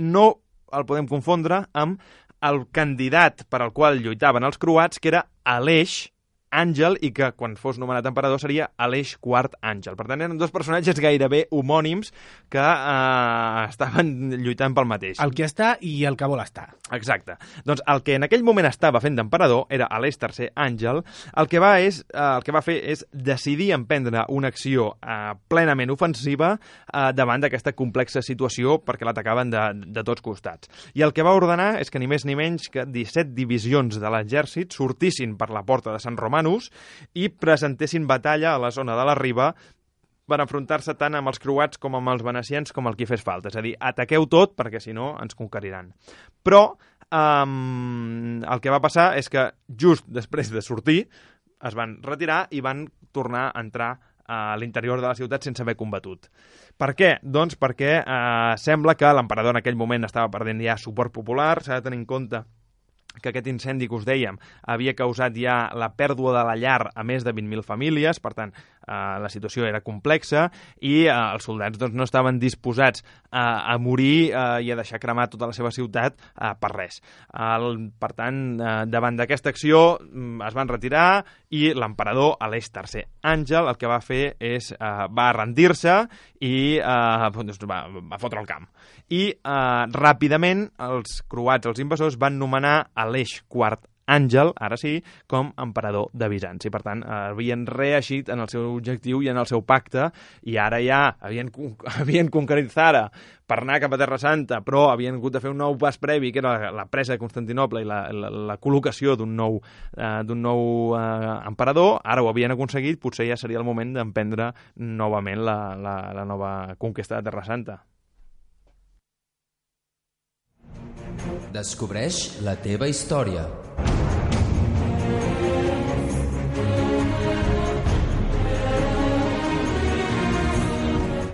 No el podem confondre amb el candidat per al qual lluitaven els croats, que era Aleix Àngel, i que quan fos nomenat emperador seria Aleix quart Àngel. Per tant, eren dos personatges gairebé homònims que eh, estaven lluitant pel mateix. El que està i el que vol estar. Exacte. Doncs el que en aquell moment estava fent d'emperador era Aleix tercer Àngel. El que va, és, eh, el que va fer és decidir emprendre una acció eh, plenament ofensiva eh, davant d'aquesta complexa situació, perquè l'atacaven de, de tots costats. I el que va ordenar és que ni més ni menys que disset divisions de l'exèrcit sortissin per la porta de Sant Romanus i presentessin batalla a la zona de la riba per enfrontar-se tant amb els croats com amb els venecians com el que fes falta. És a dir, ataqueu tot perquè si no ens conqueriran. Però um, el que va passar és que just després de sortir es van retirar i van tornar a entrar a l'interior de la ciutat sense haver combatut. Per què? Doncs perquè eh, sembla que l'emperador en aquell moment estava perdent ja suport popular. S'ha de tenir en compte que aquest incendi que us dèiem havia causat ja la pèrdua de la llar a més de vint mil famílies, per tant, eh, la situació era complexa i eh, els soldats doncs, no estaven disposats eh, a morir eh, i a deixar cremar tota la seva ciutat eh, per res. El, per tant, eh, davant d'aquesta acció es van retirar i l'emperador Aleix tercer Àngel el que va fer és eh, va rendir-se i eh, doncs, va, va fotre el camp. I eh, ràpidament els croats, els invasors, van nomenar Aleix quart Àngel, ara sí, com emperador de Bizanci. Per tant, havien reeixit en el seu objectiu i en el seu pacte, i ara ja havien, havien conquerit Zara per anar cap a Terra Santa, però havien hagut de fer un nou pas previ, que era la, la presa de Constantinoble i la, la, la col·locació d'un nou, eh, d'un nou eh, emperador. Ara ho havien aconseguit, potser ja seria el moment d'emprendre novament la, la, la nova conquesta de Terra Santa. Descobreix la teva història.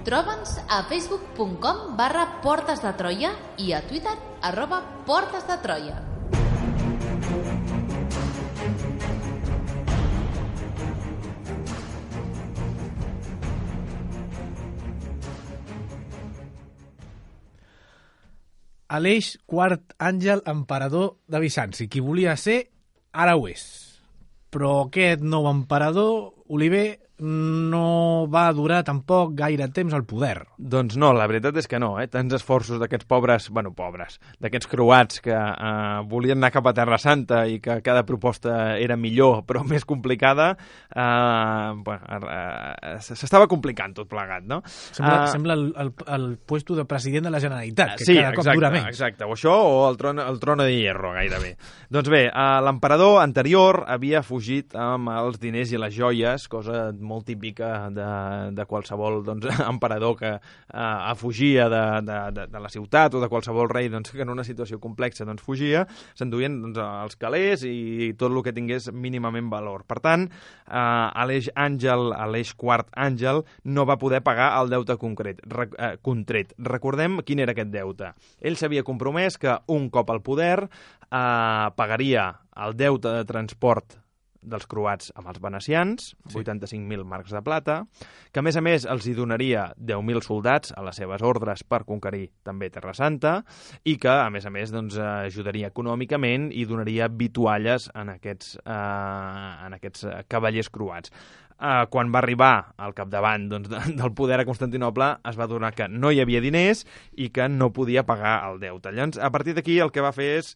Troba'ns a facebook punt com barra Portes de Troia i a Twitter arroba Portes de Troia. Aleix quart Àngel, emperador de Bizanci. Qui volia ser, ara ho és. Però aquest nou emperador, Oliver, no va durar tampoc gaire temps al poder. Doncs no, la veritat és que no, eh? Tants esforços d'aquests pobres, bueno, pobres, d'aquests croats que eh, volien anar cap a Terra Santa i que cada proposta era millor però més complicada, eh, bueno, eh, s'estava complicant tot plegat, no? Sembla, uh, sembla el, el, el puesto de president de la Generalitat, que sí, cada cop exacte, dura menys. Exacte, o això o el tron, el trono de hierro, gairebé. Doncs bé, uh, l'emperador anterior havia fugit amb els diners i les joies, cosa molt típica de, de qualsevol doncs, emperador que uh, fugia de, de, de, de la ciutat o de qualsevol rei doncs, que en una situació complexa doncs, fugia, s'enduien doncs, els calés i tot el que tingués mínimament valor. Per tant, uh, Aleix Àngel, Aleix quart Àngel, no va poder pagar el deute concret, re, uh, contret. Recordem quin era aquest deute. Ell s'havia compromès que un cop al poder uh, pagaria el deute de transport dels croats amb els venecians, sí. vuitanta-cinc mil marcs de plata, que a més a més els hi donaria deu mil soldats a les seves ordres per conquerir també Terra Santa i que a més a més doncs, ajudaria econòmicament i donaria vitualles en aquests, eh, en aquests cavallers croats. Uh, quan va arribar al capdavant doncs, de, del poder a Constantinoble es va adonar que no hi havia diners i que no podia pagar el deute. Llavors, a partir d'aquí el que va fer és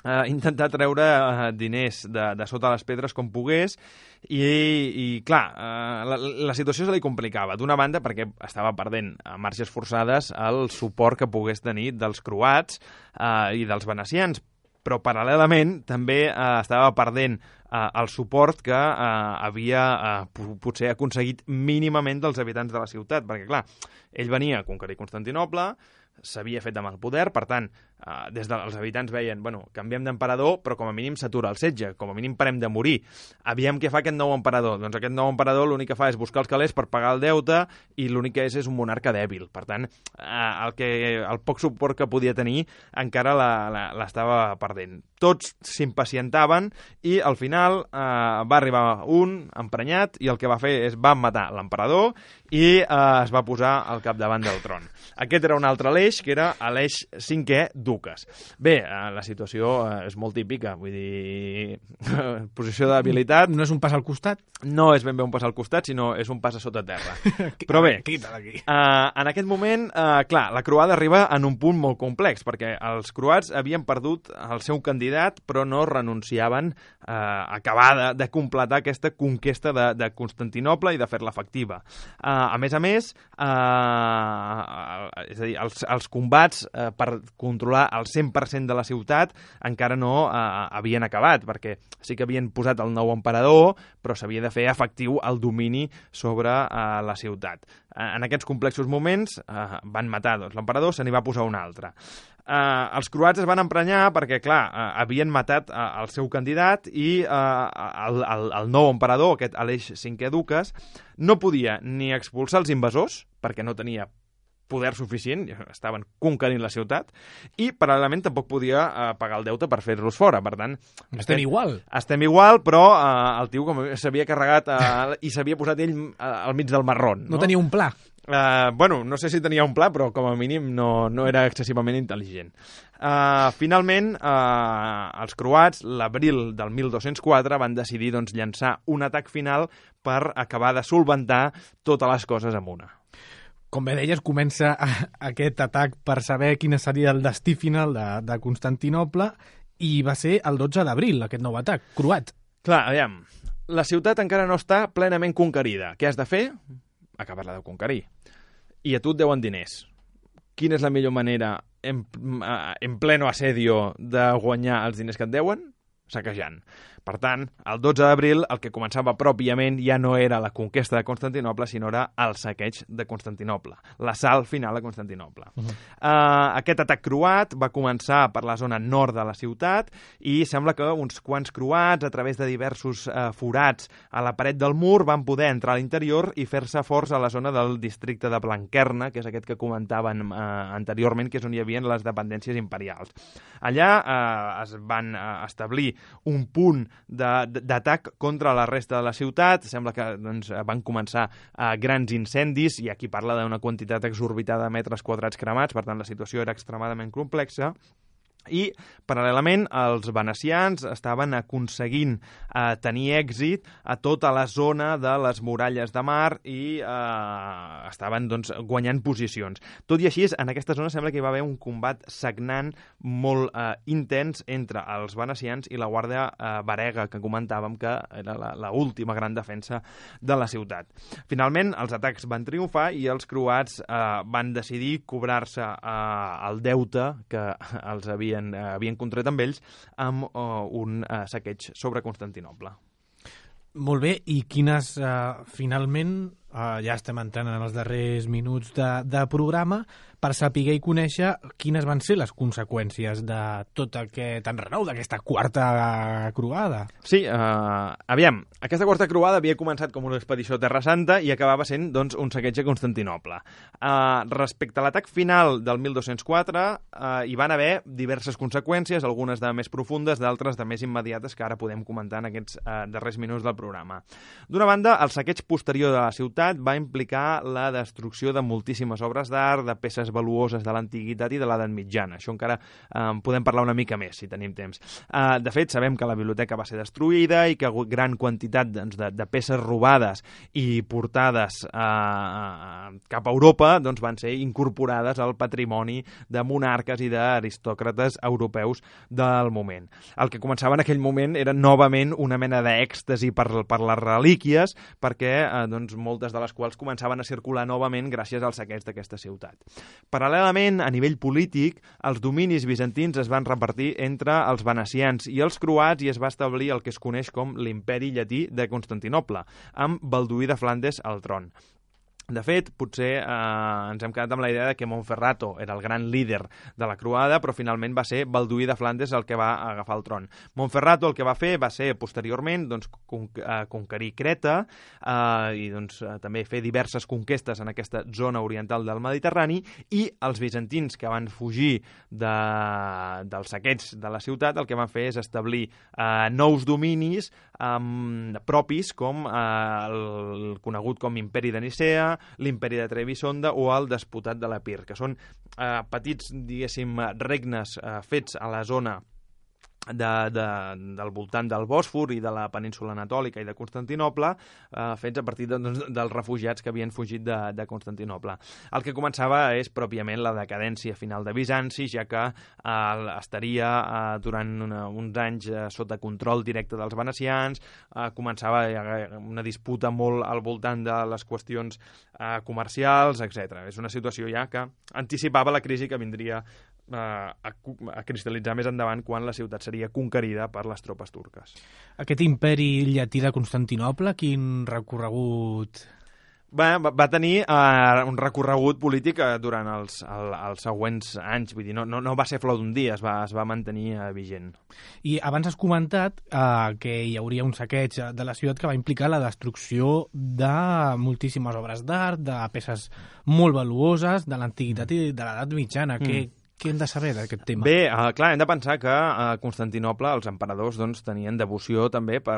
Uh, intentar treure uh, diners de, de sota les pedres com pogués i, i clar, uh, la, la situació se li complicava. D'una banda, perquè estava perdent a marxes forçades el suport que pogués tenir dels croats uh, i dels venecians, però paral·lelament també uh, estava perdent uh, el suport que uh, havia uh, potser aconseguit mínimament dels habitants de la ciutat, perquè clar, ell venia a conquerir Constantinoble, s'havia fet amb el poder, per tant, eh, des dels habitants veien, bueno, canviem d'emperador, però com a mínim s'atura el setge, com a mínim parem de morir. Aviam què fa aquest nou emperador. Doncs aquest nou emperador l'únic que fa és buscar els calés per pagar el deute i l'únic que és és un monarca dèbil. Per tant, eh, el, que, el poc suport que podia tenir encara l'estava perdent. Tots s'impacientaven i al final eh, va arribar un emprenyat i el que va fer és va matar l'emperador i eh, es va posar al capdavant del tron. Aquest era un altre l'eix, que era l'eix cinquè Duques. Bé, eh, la situació eh, és molt típica, vull dir, posició d'habilitat... No és un pas al costat? No és ben bé un pas al costat, sinó és un pas a sota terra. Però bé, eh, en aquest moment, eh, clar, la croada arriba en un punt molt complex, perquè els croats havien perdut el seu candidat, però no renunciaven eh, a acabar de, de completar aquesta conquesta de, de Constantinoble i de fer-la efectiva. Eh, a més a més, eh, és a dir, els, els combats eh, per controlar el cent per cent de la ciutat encara no eh, havien acabat, perquè sí que havien posat el nou emperador, però s'havia de fer efectiu el domini sobre eh, la ciutat. Eh, en aquests complexos moments eh, van matar doncs, l'emperador, se n'hi va posar un altre. Uh, els croats es van emprenyar perquè, clar, uh, havien matat uh, el seu candidat i uh, el, el, el nou emperador, aquest Aleix cinquè Duques, no podia ni expulsar els invasors, perquè no tenia poder suficient, estaven conquerint la ciutat, i paral·lelament tampoc podia uh, pagar el deute per fer-los fora. Per tant, estem aquest, igual. Estem igual, però uh, el tio com s'havia carregat uh, i s'havia posat ell uh, al mig del marrón. No, no tenia un pla. Uh, bueno, no sé si tenia un pla, però com a mínim no, no era excessivament intel·ligent. Uh, finalment, uh, els croats, l'abril del mil dos-cents quatre, van decidir doncs, llançar un atac final per acabar de solventar totes les coses amb una. Com bé deies, comença aquest atac per saber quin seria el destí final de, de Constantinoble i va ser el dotze d'abril, aquest nou atac, croat. Clar, aviam, la ciutat encara no està plenament conquerida. Què has de fer? Acabar-la de conquerir. I a tu et deuen diners. Quina és la millor manera, en, en pleno assedio, de guanyar els diners que et deuen? Saquejant. Per tant, el dotze d'abril el que començava pròpiament ja no era la conquesta de Constantinoble, sinó era el saqueig de Constantinoble, l'assalt final a Constantinoble. Uh -huh. uh, aquest atac croat va començar per la zona nord de la ciutat i sembla que uns quants croats, a través de diversos uh, forats a la paret del mur, van poder entrar a l'interior i fer-se forts a la zona del districte de Blanquerna, que és aquest que comentaven uh, anteriorment, que és on hi havia les dependències imperials. Allà uh, es van uh, establir un punt d'atac contra la resta de la ciutat. Sembla que doncs, van començar uh, grans incendis, i aquí parla d'una quantitat exorbitada de metres quadrats cremats, per tant la situació era extremadament complexa. I, paral·lelament, els venecians estaven aconseguint eh, tenir èxit a tota la zona de les muralles de mar i eh, estaven doncs, guanyant posicions. Tot i així, en aquesta zona sembla que hi va haver un combat sagnant molt eh, intens entre els venecians i la guàrdia eh, varega, que comentàvem que era l'última gran defensa de la ciutat. Finalment, els atacs van triomfar i els croats eh, van decidir cobrar-se eh, el deute que els havia Havien, uh, havien contret amb ells amb uh, un uh, saqueig sobre Constantinoble. Molt bé, i quines, uh, finalment, uh, ja estem entrant en els darrers minuts de, de programa, per saber i conèixer quines van ser les conseqüències de tot aquest enrenou, d'aquesta quarta croada. Sí, uh, aviam, aquesta quarta croada havia començat com una expedició a Terra Santa i acabava sent doncs, un saqueig a Constantinoble. Uh, respecte a l'atac final del mil dos-cents quatre, uh, hi van haver diverses conseqüències, algunes de més profundes, d'altres de més immediates, que ara podem comentar en aquests uh, darrers minuts del programa. D'una banda, el saqueig posterior de la ciutat ciutat va implicar la destrucció de moltíssimes obres d'art, de peces valuoses de l'antiguitat i de l'edat mitjana. Això encara eh, podem parlar una mica més, si tenim temps. Eh, de fet, sabem que la biblioteca va ser destruïda i que gran quantitat doncs, de, de peces robades i portades eh, cap a Europa doncs, van ser incorporades al patrimoni de monarques i d'aristòcrates europeus del moment. El que començava en aquell moment era novament una mena d'èxtasi per, per les relíquies, perquè eh, doncs, moltes de les quals començaven a circular novament gràcies al saqueig d'aquesta ciutat. Paral·lelament, a nivell polític, els dominis bizantins es van repartir entre els venecians i els croats i es va establir el que es coneix com l'imperi llatí de Constantinoble, amb Balduí de Flandes al tron. De fet, potser eh, ens hem quedat amb la idea de que Montferrato era el gran líder de la croada, però finalment va ser Balduí de Flandes el que va agafar el tron. Montferrato el que va fer va ser, posteriorment, doncs, con eh, conquerir Creta eh, i doncs, eh, també fer diverses conquestes en aquesta zona oriental del Mediterrani, i els bizantins que van fugir de, dels saqueigs de la ciutat el que van fer és establir eh, nous dominis eh, propis, com eh, el conegut com Imperi de Nicea, l'Imperi de Trebisonda o el Despotat de l'Epir, que són eh, petits, diguéssim, regnes eh, fets a la zona De, de, del voltant del Bòsfor i de la península anatòlica i de Constantinoble, eh, fets a partir de, doncs, dels refugiats que havien fugit de, de Constantinoble. El que començava és pròpiament la decadència final de Bizanci, ja que eh, estaria eh, durant una, uns anys eh, sota control directe dels venecians, eh, començava una disputa molt al voltant de les qüestions eh, comercials, etcètera. És una situació ja que anticipava la crisi que vindria a, a cristal·litzar més endavant quan la ciutat seria conquerida per les tropes turques. Aquest imperi llatí de Constantinoble, quin recorregut... Va, va tenir uh, un recorregut polític uh, durant els, el, els següents anys, vull dir, no, no, no va ser flor d'un dia, es va, es va mantenir uh, vigent. I abans has comentat uh, que hi hauria un saqueig de la ciutat que va implicar la destrucció de moltíssimes obres d'art, de peces molt valuoses, de l'antiguitat i de l'edat mitjana. Mm. Que Què hem de saber d'aquest tema? Bé, uh, clar, hem de pensar que a Constantinoble els emperadors doncs, tenien devoció també, per,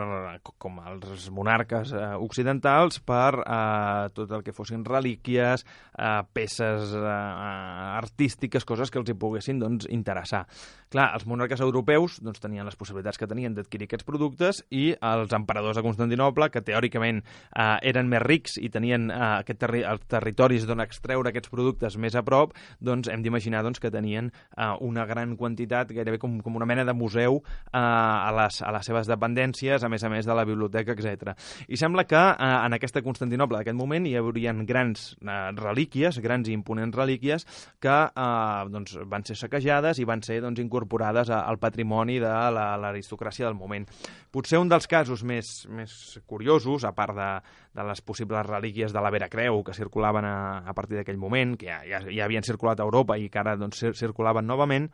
com els monarques uh, occidentals, per uh, tot el que fossin relíquies, uh, peces uh, artístiques, coses que els hi poguessin doncs, interessar. Clar, els monarques europeus doncs, tenien les possibilitats que tenien d'adquirir aquests productes, i els emperadors de Constantinoble, que teòricament uh, eren més rics i tenien uh, aquest terri els territoris d'on extreure aquests productes més a prop, doncs hem d'imaginar doncs, que tenien Uh, una gran quantitat, gairebé com, com una mena de museu uh, a, les, a les seves dependències, a més a més de la biblioteca, etcètera. I sembla que uh, en aquesta Constantinoble d'aquest moment hi haurien grans uh, relíquies, grans i imponents relíquies, que uh, doncs, van ser saquejades i van ser doncs, incorporades a, al patrimoni de l'aristocràcia del moment. Potser un dels casos més, més curiosos, a part de, de les possibles relíquies de la Vera Creu que circulaven a, a partir d'aquell moment, que ja, ja, ja havien circulat a Europa i que ara doncs, circulaven novament,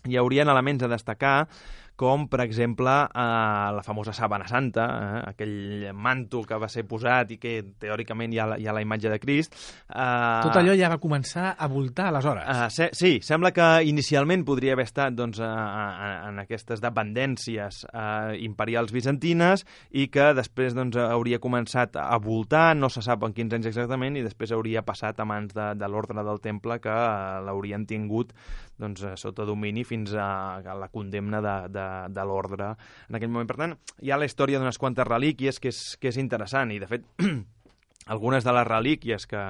hi haurien elements a destacar, com, per exemple, eh, la famosa Sàbana Santa, eh, aquell manto que va ser posat i que, teòricament, hi ha la, hi ha la imatge de Crist. Eh, Tot allò ja va començar a voltar aleshores. Eh, se, sí, sembla que inicialment podria haver estat doncs, a, a, en aquestes dependències eh, imperials bizantines i que després doncs, hauria començat a voltar, no se sap en quins anys exactament, i després hauria passat a mans de, de l'ordre del Temple, que eh, l'haurien tingut doncs, sota domini fins a, a la condemna de, de de l'ordre en aquell moment. Per tant, hi ha la història d'unes quantes relíquies que és, que és interessant, i de fet algunes de les relíquies que,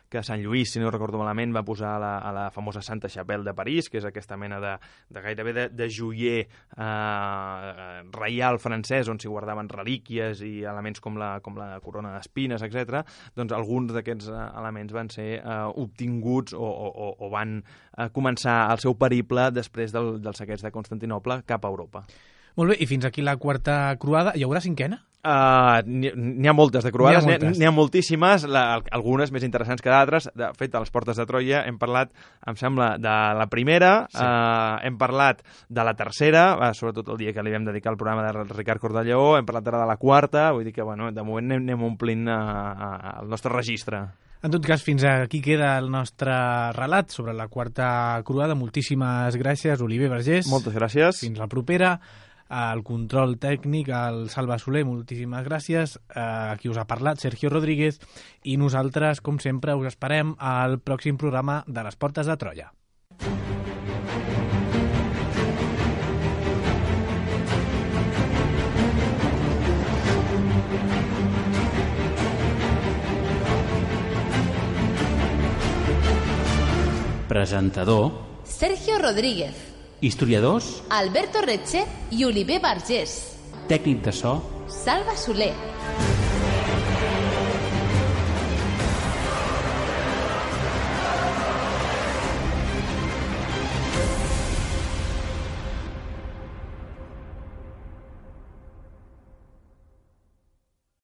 que Sant Lluís, si no recordo malament, va posar a la, a la famosa Santa Chapelle de París, que és aquesta mena de, de gairebé de, de joier eh, reial francès, on s'hi guardaven relíquies i elements com la, com la corona d'espines, etcètera. Doncs alguns d'aquests elements van ser eh, obtinguts o, o, o van eh, començar el seu periple després del, del saqueig de Constantinoble cap a Europa. Molt bé, i fins aquí la quarta croada. Hi haurà cinquena? Uh, N'hi ha moltes de croades, n'hi ha, ha, ha moltíssimes, la, algunes més interessants que d'altres. De fet, a les portes de Troia hem parlat, em sembla, de la primera, sí. uh, hem parlat de la tercera, uh, sobretot el dia que li vam dedicar al programa de Ricard Cordelló, hem parlat ara de la quarta, vull dir que, bueno, de moment anem, anem omplint uh, uh, el nostre registre. En tot cas, fins aquí queda el nostre relat sobre la quarta croada. Moltíssimes gràcies, Oliver Vergés. Moltes gràcies. Fins la propera. el control tècnic, el Salva Soler, moltíssimes gràcies. Uh, aquí us ha parlat Sergio Rodríguez i nosaltres, com sempre, us esperem al pròxim programa de les Portes de Troia. Presentador Sergio Rodríguez. Historiadors Alberto Retxe i Oliver Vergés. Tècnic de so Salva Soler.